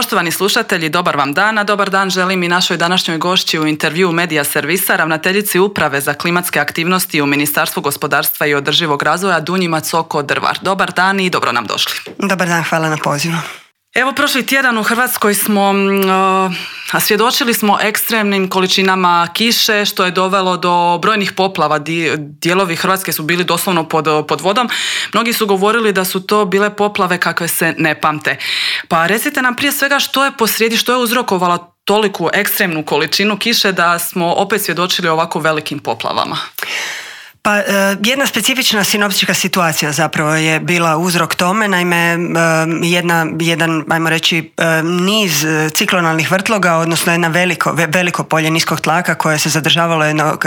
Poštovani slušatelji, dobar vam dan, a dobar dan želim i našoj današnjoj gošći u intervjuu Medija servisa, ravnateljici Uprave za klimatske aktivnosti u Ministarstvu gospodarstva i održivog razvoja Dunji Macoko-Drvar. Dobar dan i dobro nam došli. Dobar dan, hvala na pozivu. Evo, prošli tjedan u Hrvatskoj svjedočili smo ekstremnim količinama kiše, što je dovelo do brojnih poplava. Dijelovi Hrvatske su bili doslovno pod vodom. Mnogi su govorili da su to bile poplave kakve se ne pamte. Pa recite nam prije svega što je posrijedi, što je uzrokovalo toliku ekstremnu količinu kiše da smo opet svjedočili ovako velikim poplavama. Pa jedna specifična sinoptička situacija zapravo je bila uzrok tome, naime jedan, ajmo reći, niz ciklonalnih vrtloga, odnosno jedno veliko polje niskog tlaka koje se zadržavalo jedno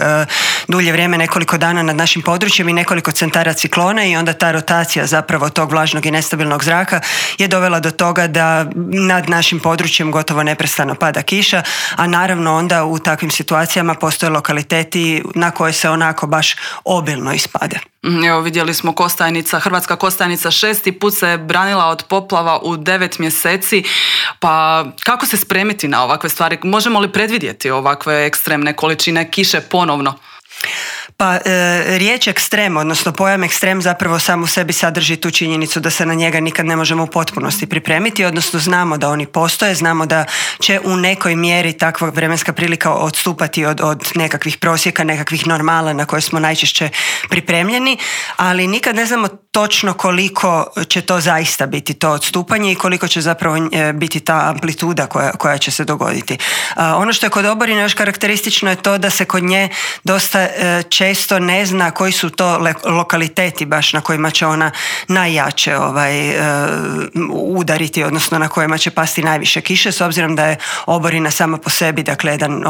dulje vrijeme, nekoliko dana nad našim područjem i nekoliko centara ciklone, i onda ta rotacija zapravo tog vlažnog i nestabilnog zraka je dovela do toga da nad našim područjem gotovo neprestano pada kiša, a naravno onda u takvim situacijama postoje lokaliteti na koje se onako baš obilno ispade. Evo, vidjeli smo Hrvatska Kostajnica 6. put se branila od poplava u 9 mjeseci. Pa kako se spremiti na ovakve stvari? Možemo li predvidjeti ovakve ekstremne količine kiše ponovno? Pa riječ ekstrem, odnosno pojam ekstrem zapravo sam u sebi sadrži tu činjenicu da se na njega nikad ne možemo u potpunosti pripremiti, odnosno znamo da oni postoje, znamo da će u nekoj mjeri takva vremenska prilika odstupati od nekakvih prosjeka, nekakvih normala na koje smo najčešće pripremljeni, ali nikad ne znamo točno koliko će to zaista biti to odstupanje i koliko će zapravo biti ta amplituda koja će se dogoditi. Ono što je kod oborina još karakteristično je to da se kod nje dosta često ne zna koji su to lokaliteti baš na kojima će ona najjače udariti, odnosno na kojima će pasti najviše kiše, s obzirom da je oborina sama po sebi, dakle, jedan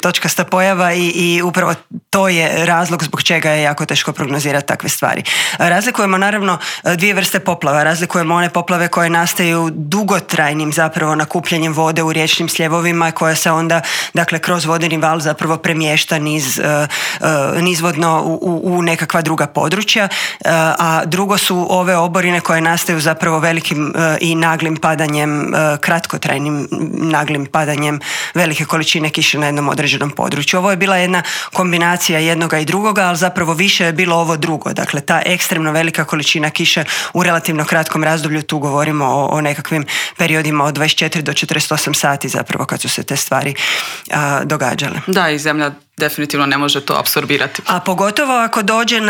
točkasta pojava i upravo to je razlog zbog čega je jako teško prognozirati takve stvari. Razlikujemo naravno dvije vrste poplava. Razlikujemo one poplave koje nastaju dugotrajnim zapravo nakupljanjem vode u riječnim sljevovima, koja se onda, dakle, kroz vodeni val zapravo premješta nizvodno u nekakva druga područja, a drugo su ove oborine koje nastaju zapravo velikim i naglim padanjem, kratkotrajnim naglim padanjem velike količine kiše na jednom određenom području. Ovo je bila jedna kombinacija jednoga i drugoga, ali zapravo više je bilo ovo drugo. Dakle, ta ekstremno velika količina kiše u relativno kratkom razdoblju, tu govorimo o nekakvim periodima od 24 do 48 sati zapravo kad su se te stvari događale. Da, i zemlja definitivno ne može to apsorbirati. A pogotovo ako dođe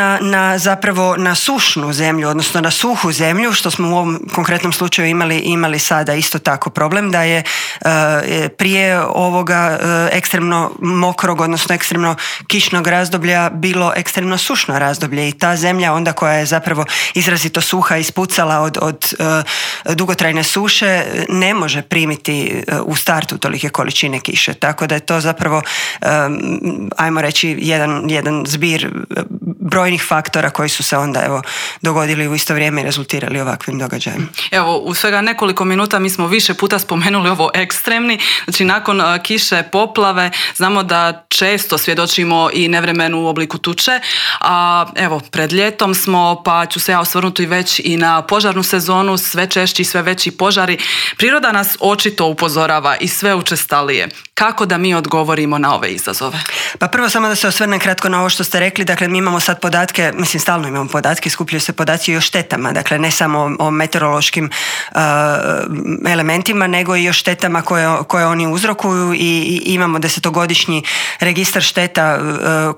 na sušnu zemlju, odnosno na suhu zemlju, što smo u ovom konkretnom slučaju imali sada isto tako problem, da je prije ovoga ekstremno mokrog, odnosno ekstremno kišnog razdoblja bilo ekstremno sušno razdoblje, i ta zemlja onda koja je zapravo izrazito suha, ispucala od dugotrajne suše, ne može primiti u startu tolike količine kiše, tako da je to zapravo ajmo reći jedan zbir brojnih faktora koji su se onda dogodili u isto vrijeme i rezultirali ovakvim događajem. Evo, u svega nekoliko minuta mi smo više puta spomenuli ovo ekstremni, znači nakon kiše, poplave, znamo da često svjedočimo i nevremenu u obliku tuče, a evo, pred ljetom smo, pa ću se ja osvrnuti već i na požarnu sezonu, sve češći i sve veći požari. Priroda nas očito upozorava i sve učestalije. Kako da mi odgovorimo na ove izazove? Pa prvo samo da se osvrnem kratko na ovo što ste rekli. Dakle, mi imamo sad podatke, stalno imamo podatke, skupljaju se podaci i o štetama, dakle ne samo o meteorološkim elementima, nego i o štetama koje oni uzrokuju, i imamo 10-godišnji registar šteta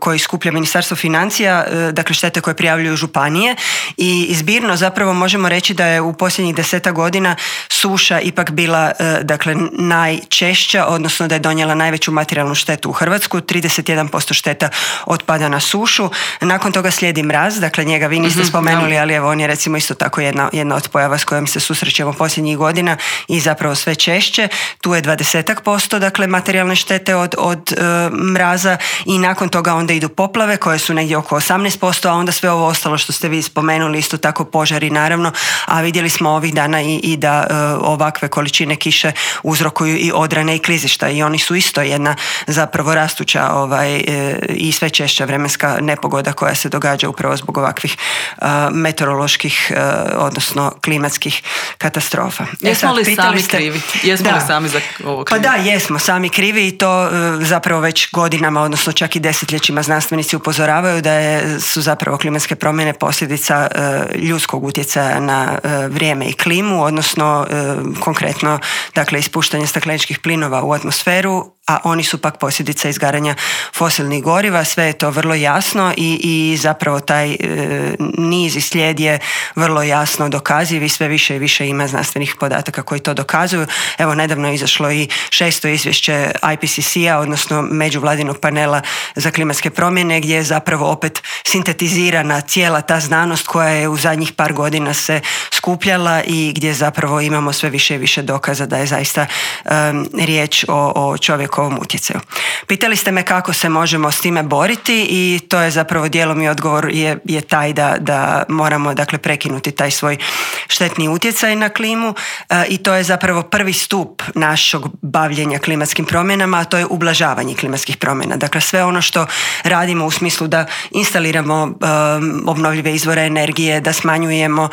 koji skuplja Ministarstvo financija, dakle štete koje prijavljuju županije, i zbirno zapravo možemo reći da je u posljednjih 10 godina suša ipak bila dakle najčešća, odnosno da je donijela najveću materijalnu štetu u Hrvatsku. 31% šteta otpada na sušu. Nakon toga slijedi mraz, dakle njega vi niste spomenuli, ali evo on je recimo isto tako jedna od pojava s kojom se susrećemo posljednjih godina i zapravo sve češće. Tu je 20%, dakle materijalne štete od mraza, i nakon toga onda idu poplave koje su negdje oko 18%, a onda sve ovo ostalo što ste vi spomenuli, isto tako požari naravno, a vidjeli smo ovih dana i da ovakve količine kiše uzrokuju i odrane i klizišta i oni su isto jedna zapravo rastuća i sve češća vremenska nepogoda koja se događa upravo zbog ovakvih meteoroloških, odnosno klimatskih katastrofa. Jesmo li sami krivi? Jesmo li sami za ovo krivi? Pa da, jesmo sami krivi i to zapravo već godinama, odnosno čak i desetljećima znanstvenici upozoravaju da su zapravo klimatske promjene posljedica ljudskog utjecaja na vrijeme i klimu, odnosno konkretno dakle ispuštanje stakleničkih plinova u atmosferu, a oni su pak posljedica izgaranja fosilnih goriva. Sve je to vrlo jasno i zapravo taj niz i slijed je vrlo jasno dokaziv i sve više i više ima znanstvenih podataka koji to dokazuju. Evo, nedavno je izašlo i 6. izvješće IPCC-a, odnosno međuvladinog panela za klimatske promjene, gdje je zapravo opet sintetizirana cijela ta znanost koja je u zadnjih par godina se skupljala i gdje zapravo imamo sve više i više dokaza da je zaista riječ o čovjekovom utjecaju. Pitali ste me kako se možemo s time boriti i to je zapravo dijelom i odgovor je taj da moramo dakle prekinuti taj svoj štetni utjecaj na klimu i to je zapravo prvi stup našeg bavljenja klimatskim promjenama, a to je ublažavanje klimatskih promjena. Dakle, sve ono što radimo u smislu da instaliramo obnovljive izvore energije, da smanjujemo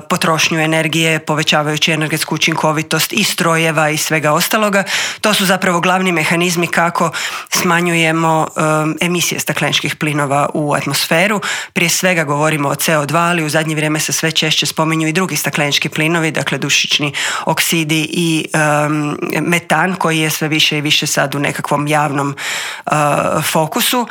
potrošnju energije, povećavajući energetsku učinkovitost i strojeva i svega ostaloga, to su zapravo glavni mehanizmi kako smanjujemo emisije stakleničkih plinova u atmosferu. Prije svega govorimo o CO2, ali u zadnje vrijeme se sve češće spominju i drugi staklenički plinovi, dakle dušični oksidi i metan koji je sve više i više sad u nekakvom javnom fokusu.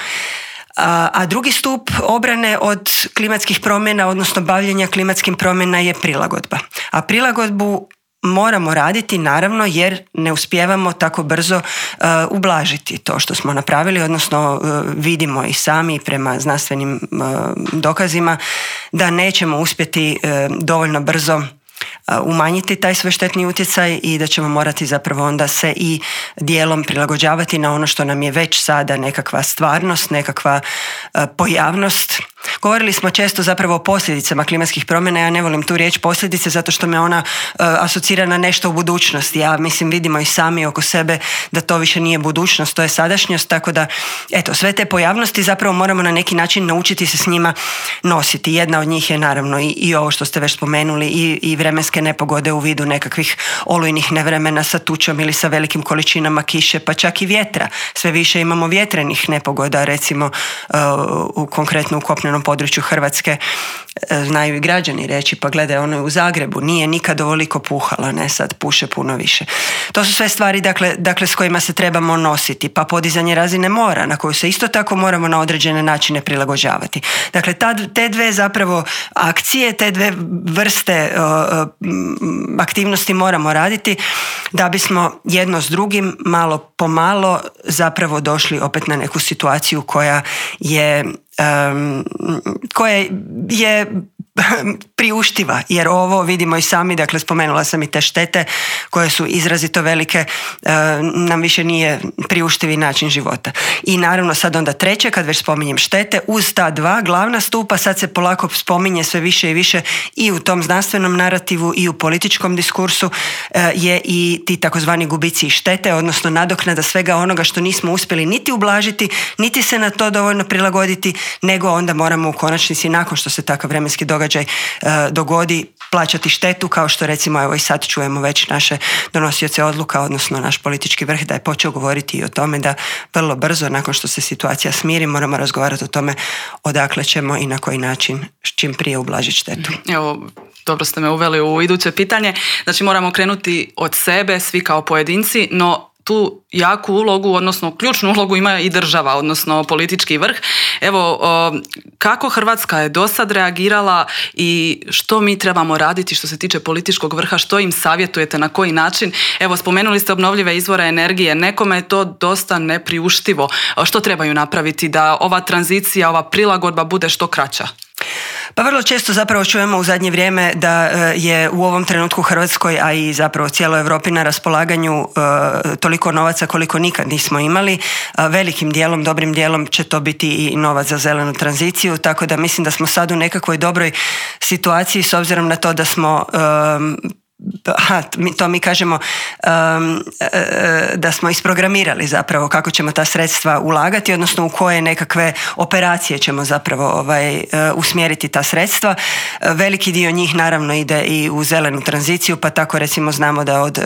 A drugi stup obrane od klimatskih promjena, odnosno bavljenja klimatskim promjena je prilagodba. A prilagodbu moramo raditi naravno jer ne uspijevamo tako brzo ublažiti to što smo napravili, odnosno vidimo i sami prema znanstvenim dokazima da nećemo uspjeti dovoljno brzo umanjiti taj svoj štetni utjecaj i da ćemo morati zapravo onda se i dijelom prilagođavati na ono što nam je već sada nekakva stvarnost, nekakva pojavnost. Govorili smo često zapravo o posljedicama klimatskih promjena. Ja ne volim tu riječ posljedice zato što me ona asocira na nešto u budućnosti. Ja mislim vidimo i sami oko sebe da to više nije budućnost, to je sadašnjost, tako da eto, sve te pojavnosti zapravo moramo na neki način naučiti se s njima nositi. Jedna od njih je naravno i ovo što ste već spomenuli i vremenske nepogode u vidu nekakvih olujnih nevremena sa tučom ili sa velikim količinama kiše, pa čak i vjetra. Sve više imamo vjetrenih nepogoda, recimo konkretno u kopnenom području Hrvatske. Znaju i građani reći, pa gledaj, ono je u Zagrebu, nije nikad ovoliko puhala, ne, sad puše puno više. To su sve stvari dakle s kojima se trebamo nositi, pa podizanje razine mora na koju se isto tako moramo na određene načine prilagođavati. Dakle, te dve zapravo akcije, te dve vrste aktivnosti moramo raditi da bismo jedno s drugim malo po malo zapravo došli opet na neku situaciju koja je priuštiva, jer ovo vidimo i sami, dakle spomenula sam i te štete koje su izrazito velike, nam više nije priuštivi način života. I naravno sad onda treće, kad već spominjem štete, uz ta dva glavna stupa sad se polako spominje sve više i više i u tom znanstvenom narativu i u političkom diskursu je i ti takozvani gubici i štete, odnosno nadoknada svega onoga što nismo uspjeli niti ublažiti, niti se na to dovoljno prilagoditi, nego onda moramo u konačnici nakon što se takav vremenski događaj dogodi plaćati štetu, kao što recimo evo i sad čujemo već naše donosioce odluka, odnosno naš politički vrh da je počeo govoriti i o tome da vrlo brzo nakon što se situacija smiri moramo razgovarati o tome odakle ćemo i na koji način čim prije ublažiti štetu. Evo, dobro ste me uveli u iduće pitanje. Znači moramo krenuti od sebe, svi kao pojedinci, no tu jaku ulogu, odnosno ključnu ulogu ima i država, odnosno politički vrh. Evo, kako Hrvatska je dosad reagirala i što mi trebamo raditi što se tiče političkog vrha, što im savjetujete, na koji način? Evo, spomenuli ste obnovljive izvore energije, nekome je to dosta nepriuštivo. Što trebaju napraviti da ova tranzicija, ova prilagodba bude što kraća? Pa vrlo često zapravo čujemo u zadnje vrijeme da je u ovom trenutku Hrvatskoj, a i zapravo cijeloj Europi na raspolaganju toliko novaca koliko nikad nismo imali. Velikim dijelom, dobrim dijelom će to biti i novac za zelenu tranziciju, tako da mislim da smo sad u nekakvoj dobroj situaciji s obzirom na to da smo to mi kažemo da smo isprogramirali zapravo kako ćemo ta sredstva ulagati, odnosno u koje nekakve operacije ćemo zapravo usmjeriti ta sredstva. Veliki dio njih naravno ide i u zelenu tranziciju, pa tako recimo znamo da od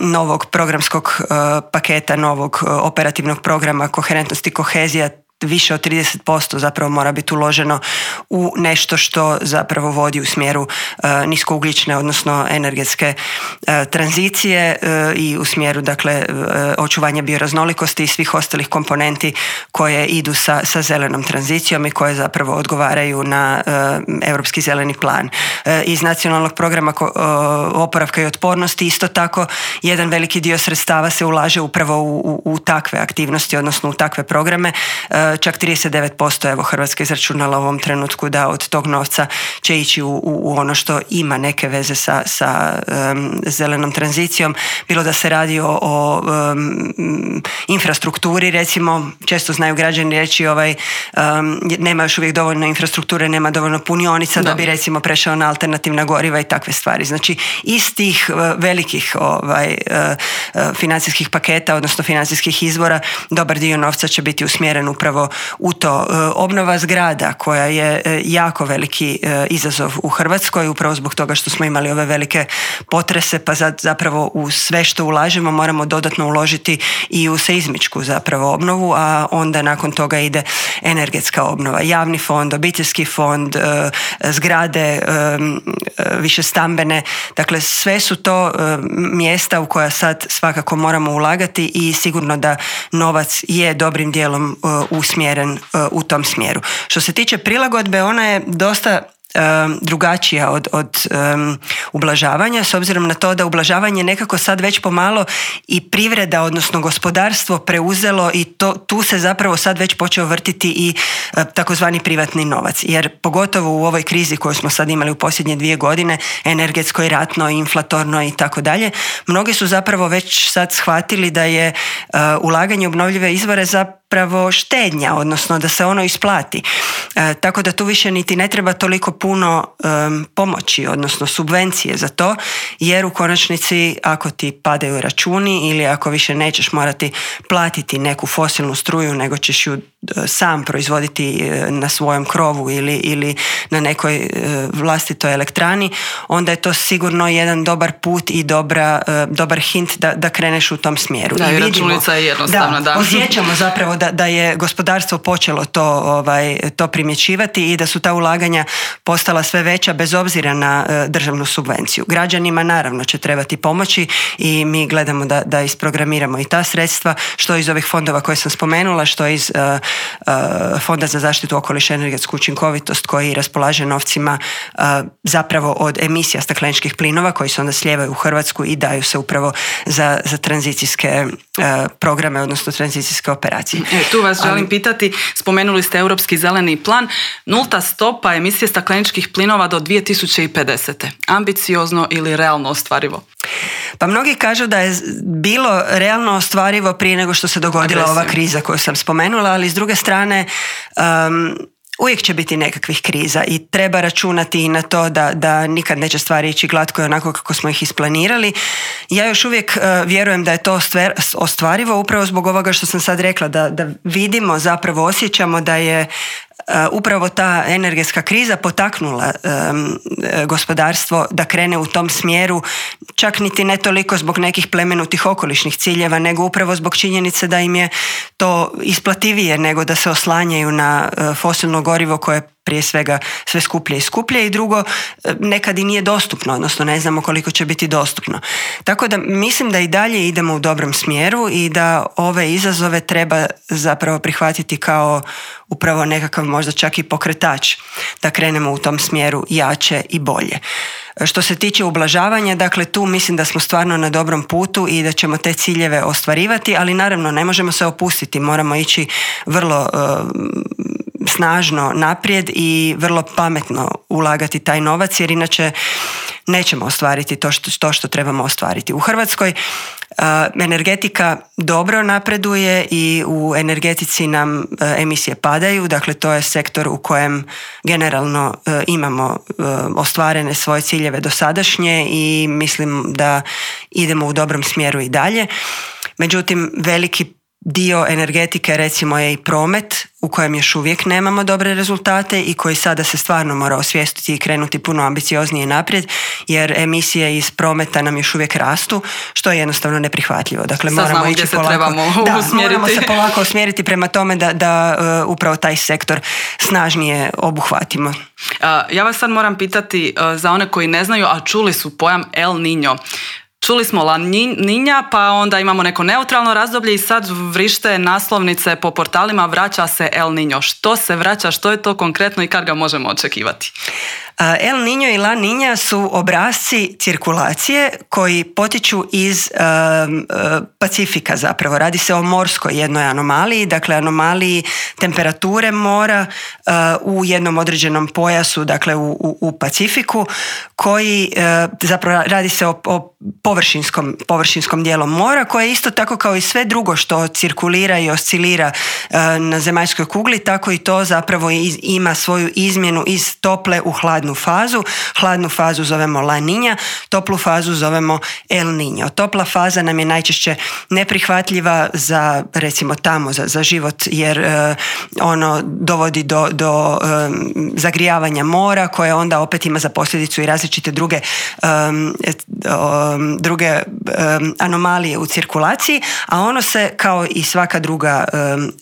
novog programskog paketa, novog operativnog programa Koherentnost i kohezija više od 30% zapravo mora biti uloženo u nešto što zapravo vodi u smjeru niskougljične, odnosno energetske tranzicije i u smjeru dakle očuvanja bioraznolikosti i svih ostalih komponenti koje idu sa zelenom tranzicijom i koje zapravo odgovaraju na Europski zeleni plan. Iz nacionalnog programa oporavka i otpornosti isto tako jedan veliki dio sredstava se ulaže upravo u takve aktivnosti, odnosno u takve programe. Čak 39% evo Hrvatska izračunala u ovom trenutku da od tog novca će ići u ono što ima neke veze sa zelenom tranzicijom, bilo da se radi o infrastrukturi, recimo često znaju građani reći nema još uvijek dovoljno infrastrukture, nema dovoljno punionica da bi recimo prešao na alternativna goriva i takve stvari. Znači iz tih velikih financijskih paketa, odnosno financijskih izvora, dobar dio novca će biti usmjeren upravo u to. Obnova zgrada koja je jako veliki izazov u Hrvatskoj, upravo zbog toga što smo imali ove velike potrese, pa zapravo u sve što ulažemo moramo dodatno uložiti i u seizmičku zapravo obnovu, a onda nakon toga ide energetska obnova, javni fond, obiteljski fond, zgrade višestambene, dakle sve su to mjesta u koja sad svakako moramo ulagati i sigurno da novac je dobrim dijelom usmjeren u tom smjeru. Što se tiče prilagodbe, ona je dosta drugačija od ublažavanja, s obzirom na to da ublažavanje nekako sad već pomalo i privreda, odnosno gospodarstvo preuzelo i tu se zapravo sad već počeo vrtiti i takozvani privatni novac. Jer pogotovo u ovoj krizi koju smo sad imali u posljednje 2 godine, energetskoj, ratnoj, inflatornoj i tako dalje, mnogi su zapravo već sad shvatili da je ulaganje u obnovljive izvore zapravo štednja, odnosno da se ono isplati. Tako da tu više niti ne treba toliko puno pomoći, odnosno subvencije za to, jer u konačnici ako ti padaju računi ili ako više nećeš morati platiti neku fosilnu struju, nego ćeš ju sam proizvoditi na svojem krovu ili na nekoj vlastitoj elektrani, onda je to sigurno jedan dobar put i dobar hint da kreneš u tom smjeru. Da, i računica je jednostavna. Da, osjećamo zapravo da je gospodarstvo počelo to primjećivati i da su ta ulaganja postala sve veća bez obzira na državnu subvenciju. Građanima naravno će trebati pomoći i mi gledamo da isprogramiramo i ta sredstva, što iz ovih fondova koje sam spomenula, što iz Fonda za zaštitu okoliša i energetsku učinkovitost koji raspolaže novcima zapravo od emisija stakleničkih plinova koji se onda slijevaju u Hrvatsku i daju se upravo za tranzicijske programe, odnosno tranzicijske operacije. Tu vas želim pitati, spomenuli ste Europski zeleni plan, 0 stopa emisije stakleničkih plinova do 2050. Ambiciozno ili realno ostvarivo? Pa mnogi kažu da je bilo realno ostvarivo prije nego što se dogodila ova kriza koju sam spomenula, ali s druge strane uvijek će biti nekakvih kriza i treba računati i na to da nikad neće stvari ići glatko i onako kako smo ih isplanirali. Ja još uvijek vjerujem da je to ostvarivo upravo zbog ovoga što sam sad rekla, da vidimo, zapravo osjećamo da je upravo ta energetska kriza potaknula gospodarstvo da krene u tom smjeru, čak niti ne toliko zbog nekih plemenutih okolišnih ciljeva, nego upravo zbog činjenice da im je to isplativije nego da se oslanjaju na fosilno gorivo koje prije svega sve skuplje i skuplje i drugo nekad i nije dostupno, odnosno ne znamo koliko će biti dostupno. Tako da mislim da i dalje idemo u dobrom smjeru i da ove izazove treba zapravo prihvatiti kao upravo nekakav možda čak i pokretač da krenemo u tom smjeru jače i bolje. Što se tiče ublažavanja, dakle tu mislim da smo stvarno na dobrom putu i da ćemo te ciljeve ostvarivati, ali naravno ne možemo se opustiti, moramo ići vrlo snažno naprijed i vrlo pametno ulagati taj novac, jer inače nećemo ostvariti to što trebamo ostvariti. U Hrvatskoj energetika dobro napreduje i u energetici nam emisije padaju, dakle to je sektor u kojem generalno imamo ostvarene svoje ciljeve dosadašnje i mislim da idemo u dobrom smjeru i dalje. Međutim, veliki dio energetike recimo je i promet u kojem još uvijek nemamo dobre rezultate i koji sada se stvarno mora osvijestiti i krenuti puno ambicioznije naprijed, jer emisije iz prometa nam još uvijek rastu, što je jednostavno neprihvatljivo. Dakle, moramo ići polako, moramo se polako usmjeriti prema tome da upravo taj sektor snažnije obuhvatimo. Ja vas sad moram pitati za one koji ne znaju, a čuli su pojam El Niño. Čuli smo La Niña, pa onda imamo neko neutralno razdoblje i sad vrište naslovnice po portalima vraća se El Niño. Što se vraća, što je to konkretno i kad ga možemo očekivati? El Niño i La Niña su obrasci cirkulacije koji potiču iz Pacifika zapravo. Radi se o morskoj jednoj anomaliji, dakle anomaliji temperature mora u jednom određenom pojasu, dakle u Pacifiku, koji zapravo radi se o površinskom dijelu mora, koje isto tako kao i sve drugo što cirkulira i oscilira na zemaljskoj kugli, tako i to zapravo ima svoju izmjenu iz tople u hladnu fazu. Hladnu fazu zovemo La Niña, toplu fazu zovemo El Niño. Topla faza nam je najčešće neprihvatljiva za, recimo tamo, za život, jer ono dovodi do zagrijavanja mora, koje onda opet ima za posljedicu i različite druge anomalije u cirkulaciji, a ono se, kao i svaka druga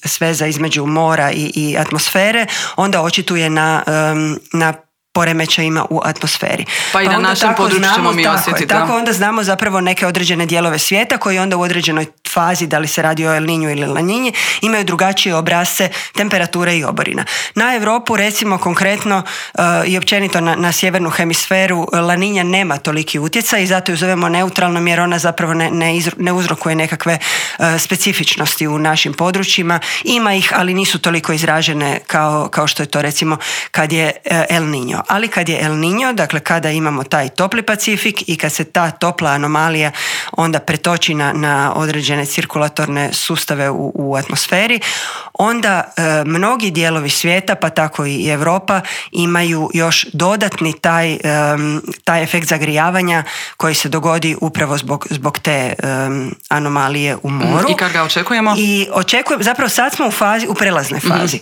sveza između mora i atmosfere, onda očituje na poremećajima u atmosferi. Pa i na našem području ćemo mi osjetiti. Tako onda znamo zapravo neke određene dijelove svijeta koji onda u određenoj fazi, da li se radi o El Niñu ili La Niñi, imaju drugačije obrasce temperature i oborina. Na Europu recimo konkretno i općenito na sjevernu hemisferu La Niña nema toliki utjecaj i zato ju zovemo neutralnom, jer ona zapravo ne uzrokuje nekakve specifičnosti u našim područjima. Ima ih, ali nisu toliko izražene kao što je to recimo kad je El Niño. Ali kad je El Niño, dakle kada imamo taj topli Pacifik i kad se ta topla anomalija onda pretoči na određene cirkulatorne sustave u atmosferi, onda mnogi dijelovi svijeta, pa tako i Europa, imaju još dodatni taj efekt zagrijavanja koji se dogodi upravo zbog te anomalije u moru. I kad ga očekujemo? I zapravo sad smo u prelaznoj fazi.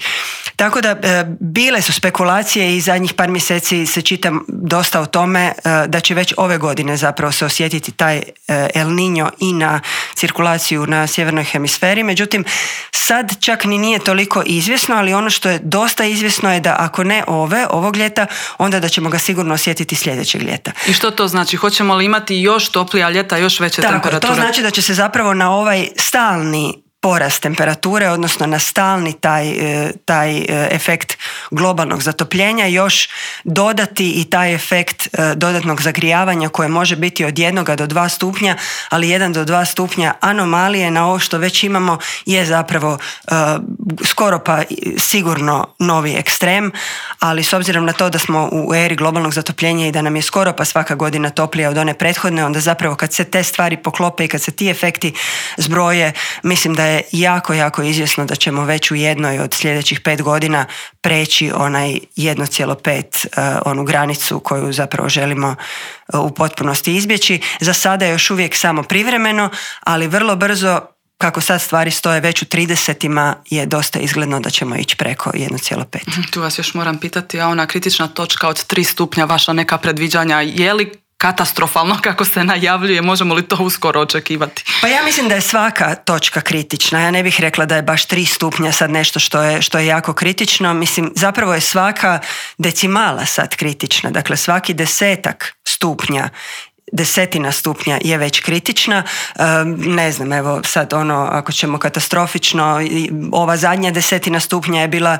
Tako da bile su spekulacije i zadnjih par mjeseci se čita dosta o tome da će već ove godine zapravo se osjetiti taj El Niño i na cirkulaciju na sjevernoj hemisferi. Međutim, sad čak ni nije toliko izvjesno, ali ono što je dosta izvjesno je da ako ne ovog ljeta, onda da ćemo ga sigurno osjetiti sljedećeg ljeta. I što to znači? Hoćemo li imati još toplija ljeta, još veće temperature? To znači da će se zapravo na ovaj stalni porast temperature, odnosno na stalni taj efekt globalnog zatopljenja još dodati i taj efekt dodatnog zagrijavanja koje može biti od 1 do 2 stupnja, ali 1 do 2 stupnja anomalije na ovo što već imamo je zapravo skoro pa sigurno novi ekstrem, ali s obzirom na to da smo u eri globalnog zatopljenja i da nam je skoro pa svaka godina toplija od one prethodne, onda zapravo kad se te stvari poklope i kad se ti efekti zbroje, mislim da je jako izvjesno da ćemo već u jednoj od sljedećih 5 godina preći onaj 1,5 onu granicu koju zapravo želimo u potpunosti izbjeći. Za sada je još uvijek samo privremeno, ali vrlo brzo, kako sad stvari stoje, već u 30-ima je dosta izgledno da ćemo ići preko 1,5. Tu vas još moram pitati, a ona kritična točka od 3 stupnja, vaša neka predviđanja, je li katastrofalno kako se najavljuje, možemo li to uskoro očekivati? Pa ja mislim da je svaka točka kritična. Ja ne bih rekla da je baš 3 stupnja sad nešto što je jako kritično. Mislim, zapravo je svaka decimala sad kritična. Dakle, svaki 10 stupnja desetina stupnja je već kritična. Ne znam, evo sad ako ćemo katastrofično, ova zadnja desetina stupnja je bila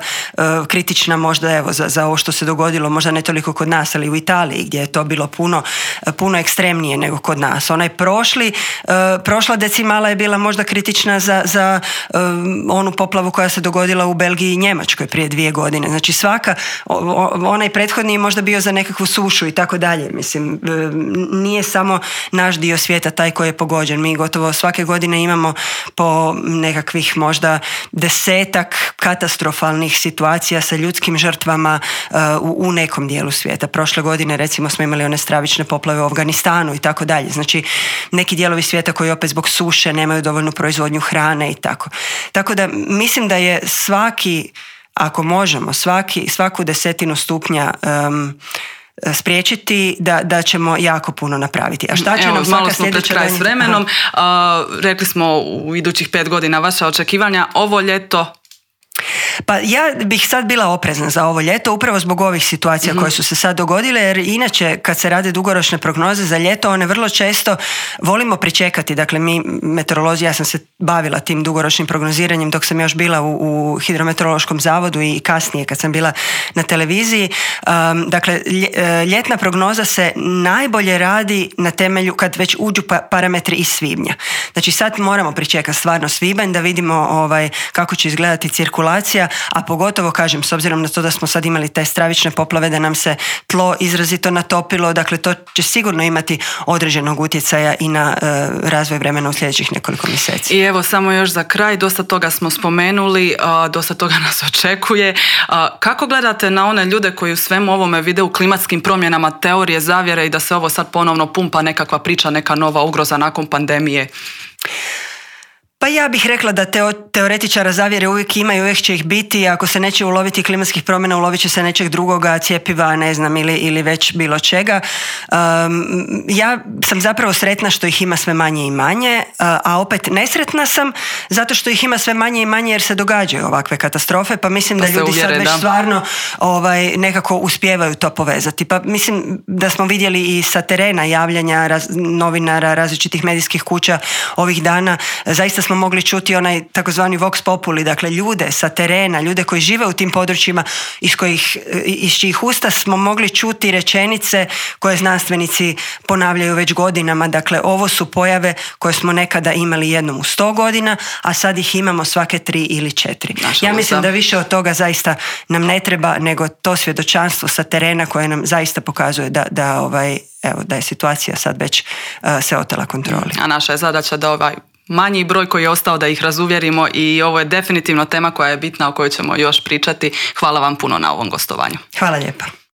kritična možda evo za ovo što se dogodilo, možda ne toliko kod nas, ali u Italiji gdje je to bilo puno ekstremnije nego kod nas. Onaj prošla decimala je bila možda kritična za onu poplavu koja se dogodila u Belgiji i Njemačkoj prije 2 godine. Znači onaj prethodni je možda bio za nekakvu sušu i tako dalje. Mislim, nije samo naš dio svijeta taj koji je pogođen. Mi gotovo svake godine imamo po nekakvih možda 10-ak katastrofalnih situacija sa ljudskim žrtvama u nekom dijelu svijeta. Prošle godine recimo smo imali one stravične poplave u Afganistanu i tako dalje. Znači neki dijelovi svijeta koji opet zbog suše nemaju dovoljnu proizvodnju hrane i tako. Tako da mislim da je ako možemo, svaku desetinu stupnja spriječiti da ćemo jako puno napraviti. A šta će nam svaka sljedeća kraj s vremenom. Rekli smo u idućih 5 godina vaša očekivanja. Ovo ljeto? Pa ja bih sad bila oprezna za ovo ljeto upravo zbog ovih situacija koje su se sad dogodile, jer inače kad se rade dugoročne prognoze za ljeto, one vrlo često volimo pričekati. Dakle, mi meteorolozi, ja sam se bavila tim dugoročnim prognoziranjem dok sam još bila u Hidrometeorološkom zavodu i kasnije kad sam bila na televiziji. Dakle, ljetna prognoza se najbolje radi na temelju kad već uđu parametri iz svibnja. Znači sad moramo pričekati stvarno svibanj da vidimo kako će izgledati cirkulacija, a pogotovo, kažem, s obzirom na to da smo sad imali te stravične poplave, da nam se tlo izrazito natopilo, dakle to će sigurno imati određenog utjecaja i na razvoj vremena u sljedećih nekoliko mjeseci. I evo samo još za kraj, dosta toga smo spomenuli, dosta toga nas očekuje. Kako gledate na one ljude koji u svemu ovome vide u klimatskim promjenama teorije zavjere i da se ovo sad ponovno pumpa nekakva priča, neka nova ugroza nakon pandemije? Pa ja bih rekla da teoretičara zavjere uvijek ima i uvijek će ih biti. Ako se neće uloviti klimatskih promjena, ulovit će se nečeg drugoga, cjepiva, ne znam, ili već bilo čega. Ja sam zapravo sretna što ih ima sve manje i manje, a opet nesretna sam zato što ih ima sve manje i manje jer se događaju ovakve katastrofe, pa mislim da ljudi sad već stvarno nekako uspijevaju to povezati. Pa mislim da smo vidjeli i sa terena javljanja novinara, različitih medijskih kuća ovih dana. Zaista smo mogli čuti onaj takozvani vox populi, dakle ljude sa terena, ljude koji žive u tim područjima iz čijih usta smo mogli čuti rečenice koje znanstvenici ponavljaju već godinama. Dakle, ovo su pojave koje smo nekada imali jednom u 100 godina, a sad ih imamo svake 3 ili 4. Ja mislim da više od toga zaista nam ne treba, nego to svjedočanstvo sa terena koje nam zaista pokazuje da je situacija sad već se otela kontroli. A naša je zadaća da manji broj koji je ostao da ih razuvjerimo i ovo je definitivno tema koja je bitna o kojoj ćemo još pričati. Hvala vam puno na ovom gostovanju. Hvala lijepa.